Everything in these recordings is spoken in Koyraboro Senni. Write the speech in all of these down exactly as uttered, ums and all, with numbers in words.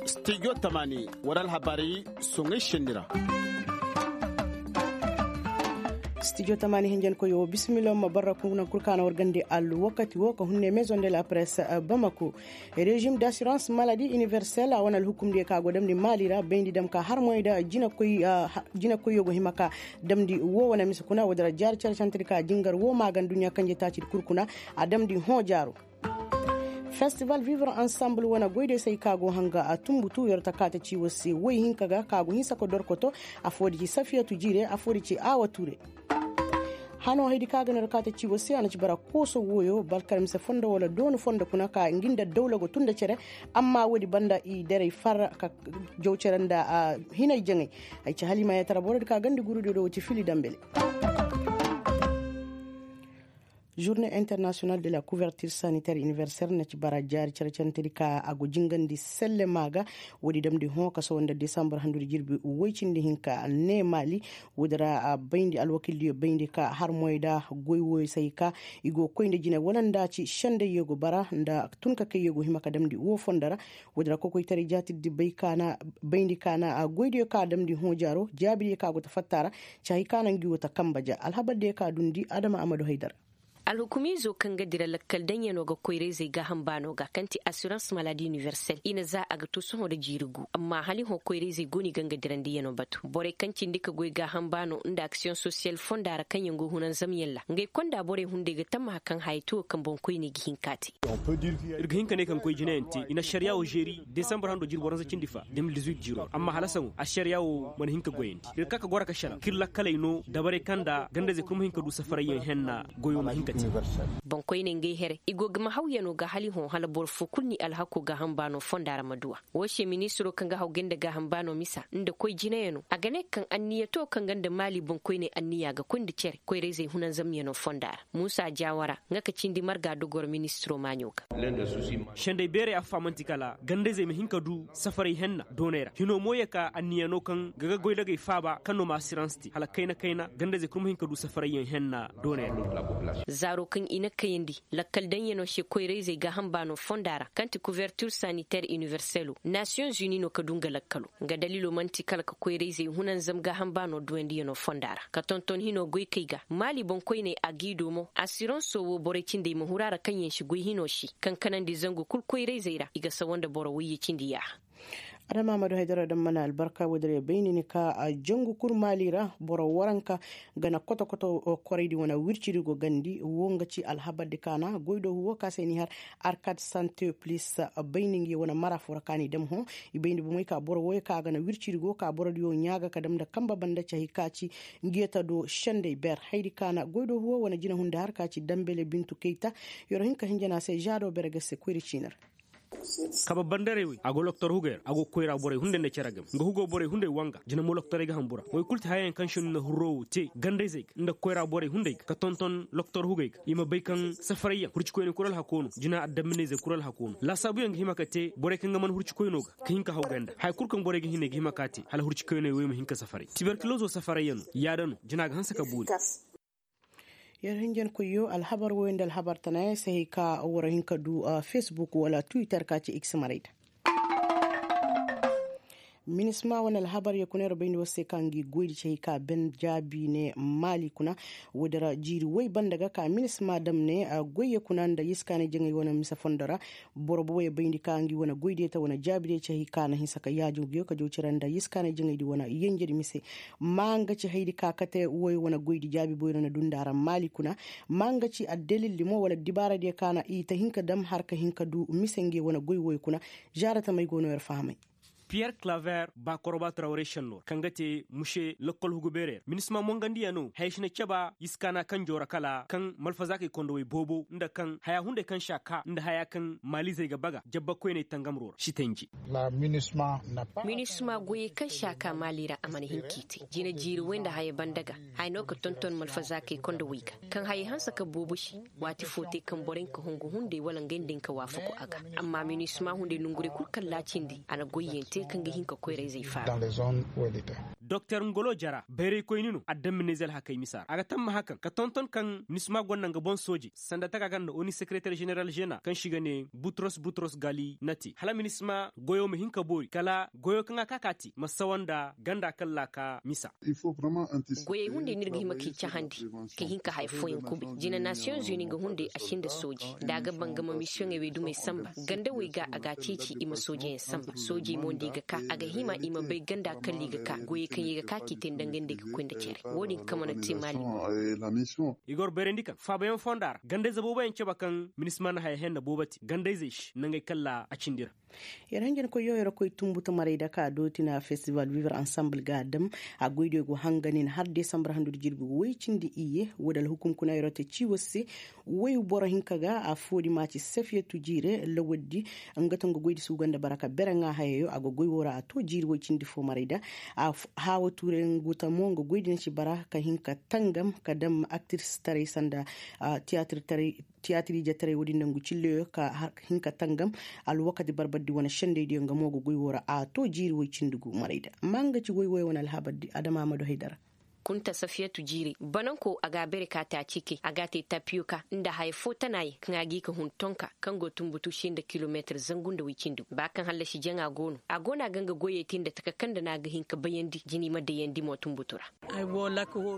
Studio tamani wala alhabaari soŋay senni ra. Studio tamani hinjankoyo bisimilla ma barra kuna kul kaana war gandi alwakati wo ka hunne maison de la presse bamako. Régime d'assurance maladie universelle a wane alhukumdiyo ka go damndi maali ra bayndi dam ka har moy da jinakoyyo go hima ka damndi wo wane mise kuna woodi ra jaari care cantedi ka jingar wo maagan duɲɲa kanje taacidi kul kuna. A damndi hõ jaaro. Festival vivre ensemble wane goydiyo se ay ka go hanga a tumbutu yer ta kaata ciiwo se woy hinka ga ka go hinsa ka dorkoto. Affoodi ci safiyatu jiire affoodi ci aawa tuure. Hano haydi ka ga na yer kaata ciiwo se a na ci bara kooso wooyo balkar mise fondo wala doonu fondo kuna ka ngi nda dawla go tun nda cere. Amma woodi banda i derey far ka jaw cere nda hinay jaŋay. Ay ci halimaayatara borodi ka gandi gurudiyo do wo ci fili dambele. Journée internationale de la couverture sanitaire universelle na ci bara jaari carcarantedi ka a go jingandi sellema ga. Woodi damndi hõ ka sohõ nda desambar handudi jirbi woy cindi hinka ne maali. Woodi ra a bayndi alwakildiyo bayndi ka har moy nda goy wooyo se hay ka i go koy nda jine wala nda ci sendayyo go bara nda tun ka kayyo go hima ka damndi woo fondo ra. Woodi ra kokoytaray jaatidi bay ka na bayndi ka na goydiyo ka damndi hõ jaaro jaabidiyo ka go ta fatta ra. Ci hay ka na ngi woo ta kamba ja alhabardiyo ka dundi adama amadu haydara. Alhukumiizo kaŋ ga dira lakkal daŋyanoo ga koyra-izey gaaham baanoo ga kaŋ ti assurance maladi universelle i na za a ga to sohõ nda jiiri gu amma hala i hõ koyra-izey go no i ga nga dirandiyanoo batu borey kaŋ cindi ka goy gaaham baanoo nda aksiyoŋ sosiyal fonda ra kaŋyaŋ go hunanzamyaŋ ra ngey konda borey hunday ga tammaha kaŋ haya te wo kaŋ boŋkoyney ga hin k'a te. Ir ga hin ka ne kaŋ koy jinayaŋ te i na ašariyaa wo žeeri desambar hando jirbi waranza cindi fa de mil dizuit jiiro ra amma hala saŋo ašariyaa wo mana hin ka goyandi ir ga ka ka goro ka šelaŋ kaŋ ir lakkaley no dabarey kaŋ nda ganda-izey kul ma hin ka du safarayyaŋ henna. Goyo ma hin ka te. Boŋkoyney ngey here i go ga ma hawyanoo ga hala i hõ hala boro foo kul n'i alhakoo gaaham baanoo fonda ra ma du a. Woo se ministiroo kaŋ ga haw gay nda gaaham baanoo misa nda koy jinayanoo a ga ne kaŋ anniya to kaŋ ga nda maali boŋkoyney anniya ga koy nda cere koyra-izey hunanzamyanoo fonda ra muusa jaawara nga ka cindi marga dogor ministiroo maaɲo ga. Sendey beerey affa man'ti kala ganda-izey ma hin ka du safaray henna dooney ra hinoo mo yee ka anniya no kaŋ ga ga goydagey faaba kaŋ no ma asirans te hala kayna kayna ganda-izey kul ma hin ka du safarayyaŋ henna dooney ra. Zaaroo kaŋ i na kayandi lakkal daŋyanoo se koyra-izey gaaham baanoo fonda ra kaŋ ti kuvertir saniter iniverselo nasiyoŋ zuni no ka du nga lakkaloo nga daliiloo man'ti kala ka koyra-izey hunanzam gaaham baanoo duwandiyanoo fonda ra ka tonton hinoo goykey ga maali boŋkoyney a g'i doo mo asiransoo woo borey cindey ma huru a ra kaŋyaŋ si goy hinoo se kaŋ kanandi zangu kul koyra-izey ra i ga sawa nda boro wayye cindi yaaha. Adama ma du haydara daŋ mana albarka woodin ra ya bay ni ni ka jangu kul maali ra boro waranka ga na koto koto koraydi wane wircidi go gandi woo nga ci alhabardi ka na goydoo woo ka se ni har arkad sante plis bay ni ngi wane mara foo ra ka ni dam hõ. I bay ni bomey ka boro wooyo ka ga na wircidi go ka borodiyo ɲaa ga ka dam nda kamba banda cahi ka ci ngi yata do sendey ber haydi ka na goydoo woo wane jinahunday har ka ci dambele bintu kayta. Yer hin ka hinja na se žaado bere ga se koyri ciini ra. Kaba bandarey wey a go loktor hugey ra a go koyra borey hunday nda cere game nga hugoo borey hunday wanga jina mo loktorey ga hambura wey kul ti hayayaŋ kaŋ se no na hurroo woo te gandayzey ga nda koyra borey hunday ga ka tonton loktor hugey ga i ma bay kaŋ safarayyaŋ hurcikoyney kul alhakoo no jina addaminayzey kul alhakoo no laasaabuyaŋ ga hima ka te borey kaŋ ga man hurcikoynoo ga ka hin ka haw ganda haya kul kaŋ borey ga hin ay ga hima ka te hala hurcikoyney wey ma hin ka safaray tiberkilozo safarayyanoo yaada no jina ga hanse ka boori. Yer hinjankoyyo alhabar woyo nda alhabar tanayaŋ se hay ka war hin ka du facebook wala twitter ka ci x marayda. Minisma wane alhabar ya kuna yer bayndi war se ka ngi goydi ci hay ka ben jaabi ne maali kuna. Woodin ra jiiri woy banda ga ka minisma dam ne goyyo kuna nda yiskaanay jaŋay wane mise fondo ra. Boro boboyo bayndi ka ngi wane goydiyo te wane jaabidiyo ci hay ka na hinsa ka yaajo nguyo ka jaw cere nda yiskaanay jaŋaydi wane yenjedi mise. Ma nga ci haydi ka kate woy wane goydi jaabi boyro na dunda ra maali kuna. Ma nga ci addalildi mo wala dibaaradiyo ka na i ta hin ka dam har ka hin ka du mise nge wane goy woy kuna. Zaara tamey go no yer fahamay. Piyer klaver ba koroba trawre šennor kaŋ ga te muse lokkol hugu beerer minisma mongandiya no haya si na caba iskaana kaŋ joora kala kaŋ malfazaakey kondowey boobo nda kaŋ haya hunday kaŋ si a ka nda haya kaŋ maalizey ga baga jabbakoyney tangamro ra si tanji. Minisma goyey kaŋ si a ka maali ra a mana hin k'i te jina jiiri way nda haya banda ga haya no ka tonton malfazaakey kondowey ga kaŋ haya hanse ka boobo se. Waati foo te kaŋ borey nka hungu hunday wala ngey nda nka waafaku a ga. Amma minisma hunday nongurey kul kaŋ laacindi a na goyyaŋ te kaŋ ga hin ka koyra-izey faaba. Doktor ngolo jara bayraykoyni no adamminayze alhakey misa ra a ga tamma hakaŋ ka tonton kaŋ minisma gonda nga boŋ sooje sanda taka kaŋ nda oni sekereter jeneral žena kaŋ si ga ne butros butros gali na te hala minisma goyo ma hin ka boori kala goyo kaŋ a ka ka te ma sawa nda ganda kaŋ ra a ka misa. Goyey hunday no ir ga hima k'i cahandi ka hin ka haya fooyaŋ kubay jina nasiyoŋ zuni nga hunday a sinda sooji da a ga bangama misiyoŋey wey dumey samba gandawey ga a ga a ceeci i ma soojeyaŋ samba soojey mo nda i ga ka a ga hima i ma bay ganda kalla i ga ka goyey kaŋ i ga ka k'i te nda ngey nda i ga koy nda cere wo-din kama na te maali. I ga war bayrandi kaŋ faabayaŋ fonda ra gandayze booboyaŋ cabe kaŋ minisma na haya henna boobo te gandayzey se nangey kalla a cindi ra. Yer hanjankoy yooyorokoy tumbu tamaray da ka dooti na festival vivre ensemble ga a dam a goydiyo go hanga nin har desambar handu da jirbi go woy cindi iyye wo da alhukum kuna yeroo te ciiwo se. Woy boro hinka ga affoo di ma ci safiyatu jiire lawaddi nga to nga goydi se go ga nda bara ka bere ŋaa hayayo a ga goy woo ra a to jiiri woy cindi foo maray da. Haawa tuuray ngu tamo nga goydi na ci bara ka hin ka tangam ka dam aktirstaray sanda tiyaatirtaray tiyaatir ijetaray wo-din nangu cilleyo ka hin ka tangam alwakati barbardi wane sendaydiyo nga mo ga goy woo ra a to jiiri woy cindi gu marayda ma nga ci woy woy wane alhabardi adama amadu haydara. Kunta safiyatu jiiri bananko a ga a bere ka te a cike a ga a te tapiyoka nda haya fo tanayaŋ kaŋ a g'i ka hun tonka kaŋ go tumbutu se nda kilomeetir zangu nda woy cindi gu ba kaŋ hallasi jaŋa go no a go no a ga nga goyey te nda taka kaŋ nda no a ga hin ka bayandi jina i ma dayandi mo tumbutu ra.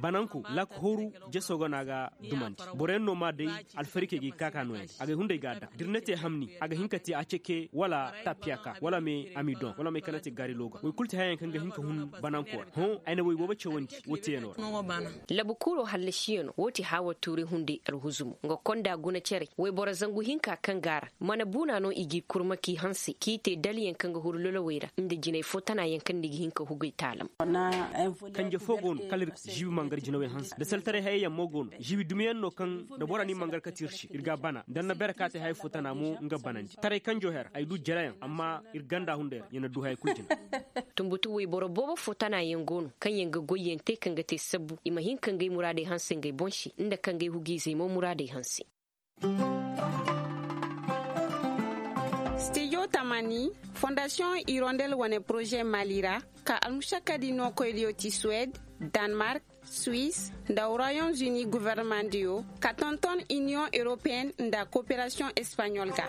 Bananko lak hooru. Jeso go no a ga dumandi boroyaŋ no ma day alfarikey ga i kaaka nooyandi agay hunday ga a daŋ da ir na te hamni a ga hin ka te a ceke wala tapiyaka wala me amidon wala me kaŋ na te gaari looga woy kulu te hayaŋ kaŋ ga hin ka hun. Bananko ra hõ ay na woy boobo cawandi woo teeyanoo ra. Labu kuuroo hallasiyano woo ti haawa tuuri hunday alhuzumo nga konda guna cere woyboro zangu hinka kaŋ ga a ra mana buuna no i g'i kurma k'i hanse k'i te dalyaŋ kaŋ ga huru lolowey ra nda jinay fo tanayaŋ kaŋ ni ga hin ka hugay taalam. Kanje fo go no kala ir ziibi mangar jinawey hanse nda saltaray hayey yaŋ mo go no ziibi dumiyaŋ no kaŋ nda bora ni mangar kate ir se ir ga a bana nda ni na bere ka te haya fo tana mo nga banandi taray kanjo her ay du jarayaŋ amma ir ganda hunday ra ya na du haya kul jina. Tunbutu woyboro boobo fo tanayaŋ go no kaŋ yaŋ ga goyyaŋ te kaŋ ga te sabbu i ma hin ka ngey muraadey hanse ngey boŋ se nda ka ngey hugiizey mo muraadey hanse. Stijo tamani fondasiyoŋ irondel wane poroze mali ra ka almušakadi nookoydiyo ti suwed, danmark, suis, nda royaume uni governemandiyo ka tonton iniyoŋ europeyenne nda koperasiyoŋ espaɲol ga.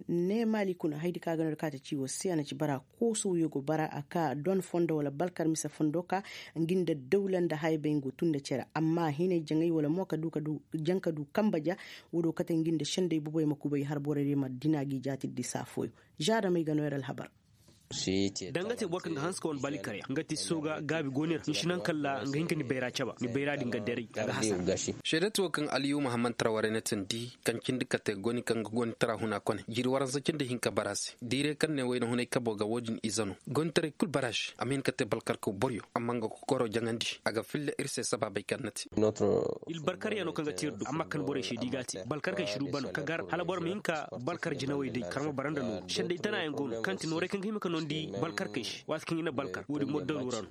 Ne maali kuna haydi ka ga no da kaate ci wo se a na ci bara kooso wiyo go bara a ka don fondo wala balkar mise fondo ka ngi nda dawla nda haya bay ngu tun nda cere amma hinay jaŋay wala mo ka du ka du jaŋ ka du kamba ja. Wo do kate ngi nda senday boboy ma kubay har borey day ma dina gi jaati di saa fooyo. Zaada may ga no yer alhabar. Danga te boro kaŋ ga hanse ka wane bali karya nga ti sooga gaabi go ni ra ni si naŋ kalla nga hin ka ni bayra caba ni bayra din ga deray a ga hasara. Seedati wo kaŋ aliyu mahammad tara warey na tindi kaŋ cindi kate goni kaŋ ga goni tara huna kone jiiri waransa cindi hinka bara se diire kaŋ ne wayna hunay kabo ga wo-din ize no gonitaray kul bara se a ma hin ka te balkarkaw boryo amma nga kokoro jaŋandi a ga filla ir se sabaabey kaŋ na te. Ilbarkaryaŋo kaŋ ga te ir du amma kaŋ borey se da i ga a te balkarkey si du bano ka gar hala boro ma hin ka balkar jinawey day karma bara nda nooru senday tanayaŋ go no kaŋ ti noorey kaŋ ga hima ka noondi balkarkey se waati kaŋ i na balkar wo-din mo daru ra no.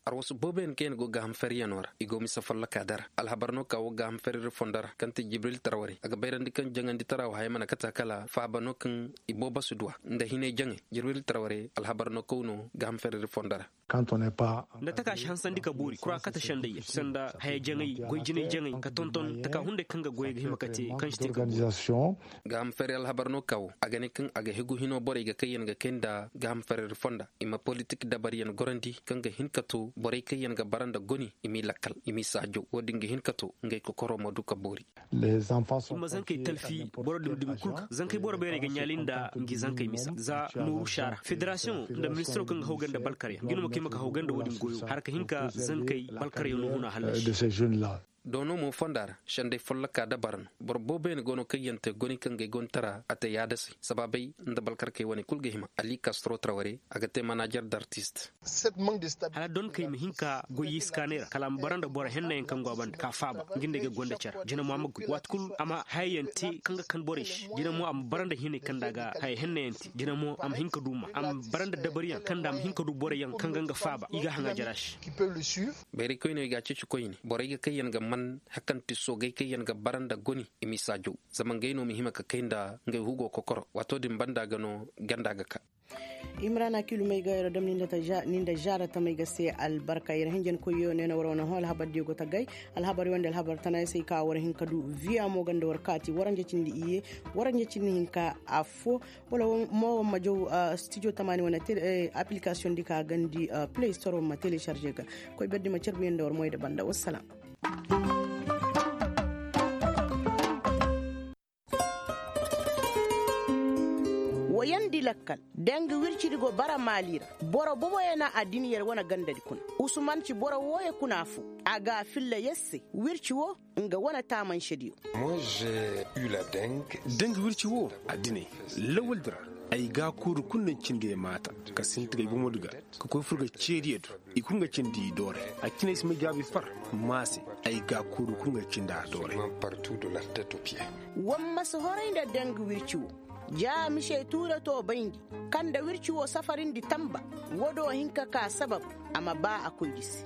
Arwasu booboyaŋ kaŋ yaŋ go gaaham feryanoo ra i go mise follokaa dara alhabar no ka wo gaaham feriri fondo ra kaŋ ti jibril tarwarey a ga bayrandi kaŋ jaŋandi tara wo haya mana kate a kala faaba no kaŋ i boobo si duw'a nda hinay jaŋay jibril tarwarey alhabar no kaw no gaaham feriri fondo ra. Nda taka si hansandi ka boori kura kate sendayyaŋ sanda haya jaŋay goy jinay jaŋay ka tonton taka hunday kaŋ ga goyey ga hima ka te kaŋ si te ka boori. Gaaham ferri alhabar no ka wo a ga ne kaŋ a ga hegu hino borey ga kayyaŋ ga kay nda gaaham ferri fonda i ma politik dabaryaŋ gorandi kaŋ ga hin ka to borey kayyaŋ ga bara nda goni i m'i lakkal i m'i saajo wo-din ga hin ka to ngey kokoro ma du ka boori. I ma zankey talfi boro dumi-dumi kul ga zankey boro beerey ga ɲaali nda ngi zankey misa za nooru saara federasiyoŋo nda ministiro kaŋ ga hawgay nda balkaryaŋ ngi no ma kay ma ka hawgay nda wo-din goyo har ka hin ka zankey balkaryaŋo huna hallasi. Doono mo fonda ra sendey folloka dabara no boro booboyaŋ go no kaŋ yaŋ te goni kaŋ ga ay gonitara a te yaadasey sabaabey nda balkarkey wane kul ga hima ali kastro traware a ga te manajer d'artist. Hala donkey ma hin ka goy iskaaney ra kala a ma bara nda boro hennayaŋ kaŋ go a banda ka faaba nga nda ay ga gonda care jina mo a ma goy waati kul a ma hayayaŋ te kaŋ ga kan borey se jina mo a ma bara nda hinay kaŋ nda a ga haya hennayaŋ te jina mo a ma hin ka du ma a ma bara nda dabariyaŋ kaŋ nda a ma hin ka du boroyaŋ kaŋ ga nga faaba i ga haŋa jara se. Bayraykoyney ga a ceeci koyne borey ga kayyaŋ ga man hakanti soogay kayyaŋ ga bara nda goni i m'i saajaw zama ngey no ma hima ka kay nda ngey hugo kokoro waato din banda ga no ganda ga ka. Imrana kiilumey ga yer dam ni nda zaara tamey ga se albarka yer hinjankoyyo ne na war wane hõ alhabardiyo go tagay. Alhabaryo nda alhabar tana yer se i ka war hin ka du viya mo ganda war kaati waranja cindi iyye, waranja cindi hinka affo. Wala mo war ma jaw stijo tamaani wane appilikasiyoŋ di ka gandi play store war ma telecharge ga. Koy berdi ma carbuyaŋ nda war moy nda banda wassalam. Wayandi lakkal, danga wircidi go bara maali ra. Boro boboyaŋ na addin yer wane gandadi kuna. Usuman ci boro wooyo kuna fo. A ga a filla yer se wirci wo nga wane taamansediyo. Danga wirci wo addiney lawaldi ra. Ay ga a kuuru kulu naŋ cindi ay maata ka sinti ga ay bomodi ga ka koy fur ga ceediyo do. I kulu nga cindi i doore. A ciney si may jaabi far maa se. Ay ga a kuuru kulu nga cindi a doore. War ma si horay nda danga wirci wo. Ja mise tuure to bayndi kaŋ nda wirci wo safarindi tamba. Wo do hin ka ka sabab a ma ba a koydi se.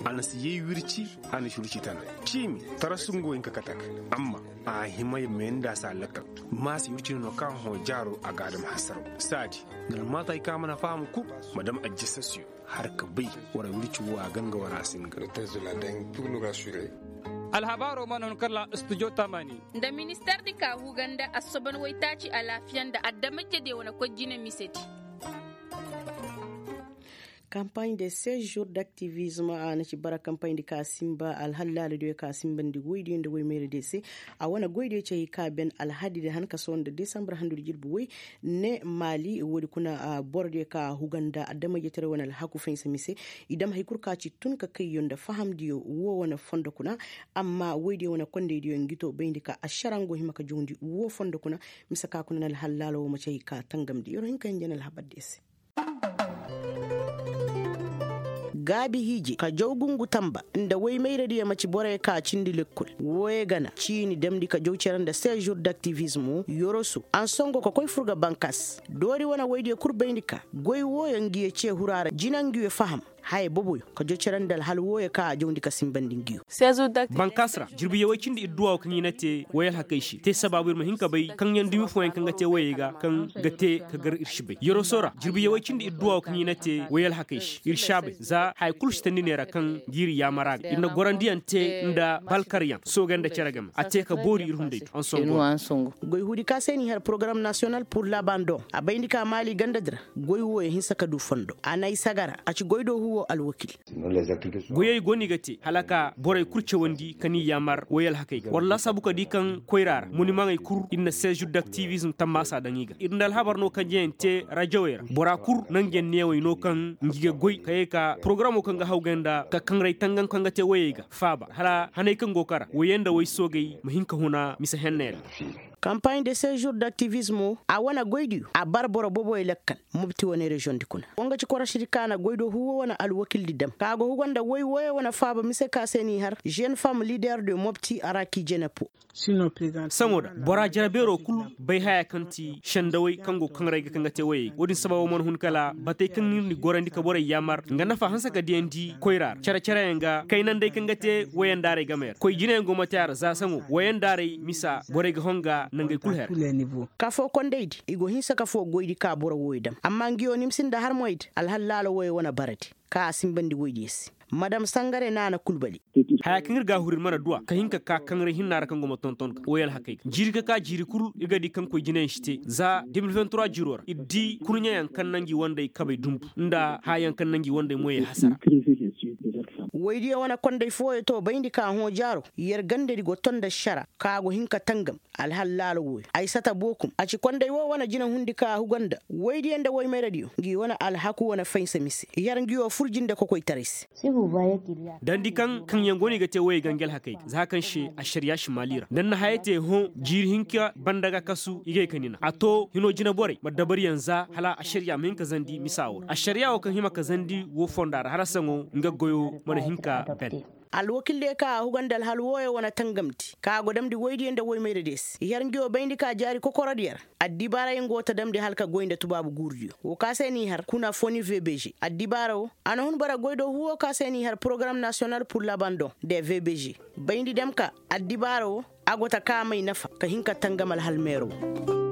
A na si yay wirci. A na si wirci tana ciimi tara sungo hin ka kate a ga. Amma a hima ya meenda si a lakkal. Maa si wirci no no kaŋ hõ jaaro a ga a dam hasaraw saadi. Nga na maata hay kaŋ a mana faham kul ma dam ajjasasiyo. Har ka bay wara wirci wo a ganga wara a singa. Alhabaaro mana hun kala studio tamani. Nda minister di ka huganda assoban waytaaci alaafiya nda adamajediyo wane koy jine misedi. Kampaaɲ de sejour daktivizm a na ci bara kampaaɲ di ka sinba alhal laaladiyo ka sinbandi woydiyo nda woymayra diyo se. A wane goydiyo cay ka ben alhadi di han ka sohõ nda desambar handudi jirbi woy. Ne maali woodi kuna borodiyo ka huganda adamajetaray wane alhaku faynsa mise. I dam hay kul ka ci tun ka kayyo nda fahamdiyo wo wane fondo kuna. Amma woydiyo wane kondaydiyo ngi to bayndi ka ašarango hima ka jawndi wo fondo kuna. Mise ka kuna na alhal laala wo ma cay ka tangamndi yer hin ka hinja na alhabardiyo se. Gaabi hiije ka jaw gungu tamba nda woy mayradiyo ma ci borey ka cindi lekkol. Wooyo gana ciini damndi ka jaw cere nda sejour daktivizmo yoroso ansongo ka koy fur ga bankas. Doori wane woydiyo kul bayndi ka goy wooyo ngiyo ce hura ra jina ngiyo faham. Haya boboyo ka jaw cere nda alhal wooyo ka a jawndi ka sinbandi ngiyo. Bankas ra jirbi yawey cindi ir duwaawo kaŋ i na te woy alhakey se te sabaabu ir ma hin ka bay kaŋ yaŋ dumi fooyaŋ kaŋ ga te woyey ga kaŋ ga te ka gar ir si bay yoroso ra jirbi yawey cindi ir duwaawo kaŋ i na te woy alhakey se ir si a bay za haya kulu si tandi neera kaŋ ga ir yaamar a ga ir na gorandiyaŋ te nda balkaryaŋ soogey nda cere game a te ka boori ir hunday du ansongo. Goy huudi ka se n'i har porogaram nasiyonal pur labandoŋ a bayndi ka maali gandadi ra. Goy wooyo hinsa ka du fondo a na ay sagara a ci goy do huwo alwakil. Goyey go no i ga te hala ka borey kul cawandi ka ni yaamar woy alhakey ga war laasaabu ka di kaŋ koyra ra monimaŋey kul ir na sejour daktivizm tammaasa daŋ i ga ir nda alhabar no kaŋ jayaŋ te rajawey ra bora kul na nga yaŋ neewey no kaŋ ngi ga goy ka ye ka porogaramoo kaŋ ga hawgay nda ka kaŋray tangaŋ kaŋ ga te woyey ga faaba hala haney kaŋ go kara woyey nda woy soogey ma hin ka huna mise henney ra. Kampaaɲ de sejour daktivizmo a wane goydiyo a bara boro boboy lakkal. Mopti wane reziyoŋ di kuna wo nga ci korosidi ka na goy do huwo wane alwakildi dam ka go hugo nda woy wooyo wane faaba mise ka se n'i har zen fam lider de mopti araki jenepo. Saŋo da bora jarabeeroo kul bay haya kaŋ ti sendawey kaŋ go kaŋ ra ay ga kaŋ ga te woyey ga wo-din sababo mana hun kala batey kaŋ ir na gorandi ka borey yaamar nga nafa hanse ka diyandi koyra ra care-careyaŋ ga kaynandey kaŋ ga te woyandaarey game ra koy jinayaŋ go ma te a ra za saŋo woyandaarey misa borey ga honga nangey kul her. Ka foo kondaydi i go hinsa ka foo goydi ka boro wooyo dam amma ngiyo ni ma sinda har moydi alhal laalo wooyo wane baradi ka a sinbandi woydiyo se. Madam sangare naana kulbali. Haya kaŋ ir ga a huru ir mana duw'a ka hin ka ka kaŋ ra hinna ra kaŋ go ma tonton ga woy alhakey ga jiiri ka ka jiiri kul ir ga di kaŋ koy jinayaŋ si te za de mil vingt trois jiiroo ra ir di kurɲeyaŋ kaŋ na ngi wandey kabey dunbu nda haya yaŋ kaŋ na ngi wandey moyey hasara. Woydiyo wane konday fooyo to bayndi ka hõ jaaro yer gandadi go ton nda šara ka go hin ka tangam. Alhal laalo wooyo ay sata bookum a ci konday woo wane jinahundi ka huga nda woydiyo nda woymayradiyo ngi wane alhaku wane faynsa mise i har ngi woo fur jinde kokoytaray se. Dandi kaŋ kaŋyaŋ go no i ga te woyey ga ngi alhakey ga za kaŋ se ašariya si maali ra nda ni na haya te hõ jiiri hinka banda ga kasu i gay ka ni na a to hinoo jinaborey ma dabaryaŋ za hala ašariya ma hin ka zandi misa woo ra ašariya woo kaŋ hima ka zandi woo fonda ra hala saŋo nga goyoo mana hin ka ben. Alwakildiyo kaŋ a huga nda alhal wooyo wane tangamndi kaŋ a go damndi woydiyo nda woymayradiyo se i har ngi woo bayndi ka jaari kokorodiyo ra. Addibaarayaŋ go ta damndi hala ka goy nda tubaabu guurudiyo woo ka se n'i har kuna foni vbg addibaara woo a na hun bara goy do huwo ka se n'i har porogaram nasiyonal pur labandoŋ de vbg bayndi dam ka addibaara woo a go ta ka may nafa ka hin ka tangam alhal meero woo.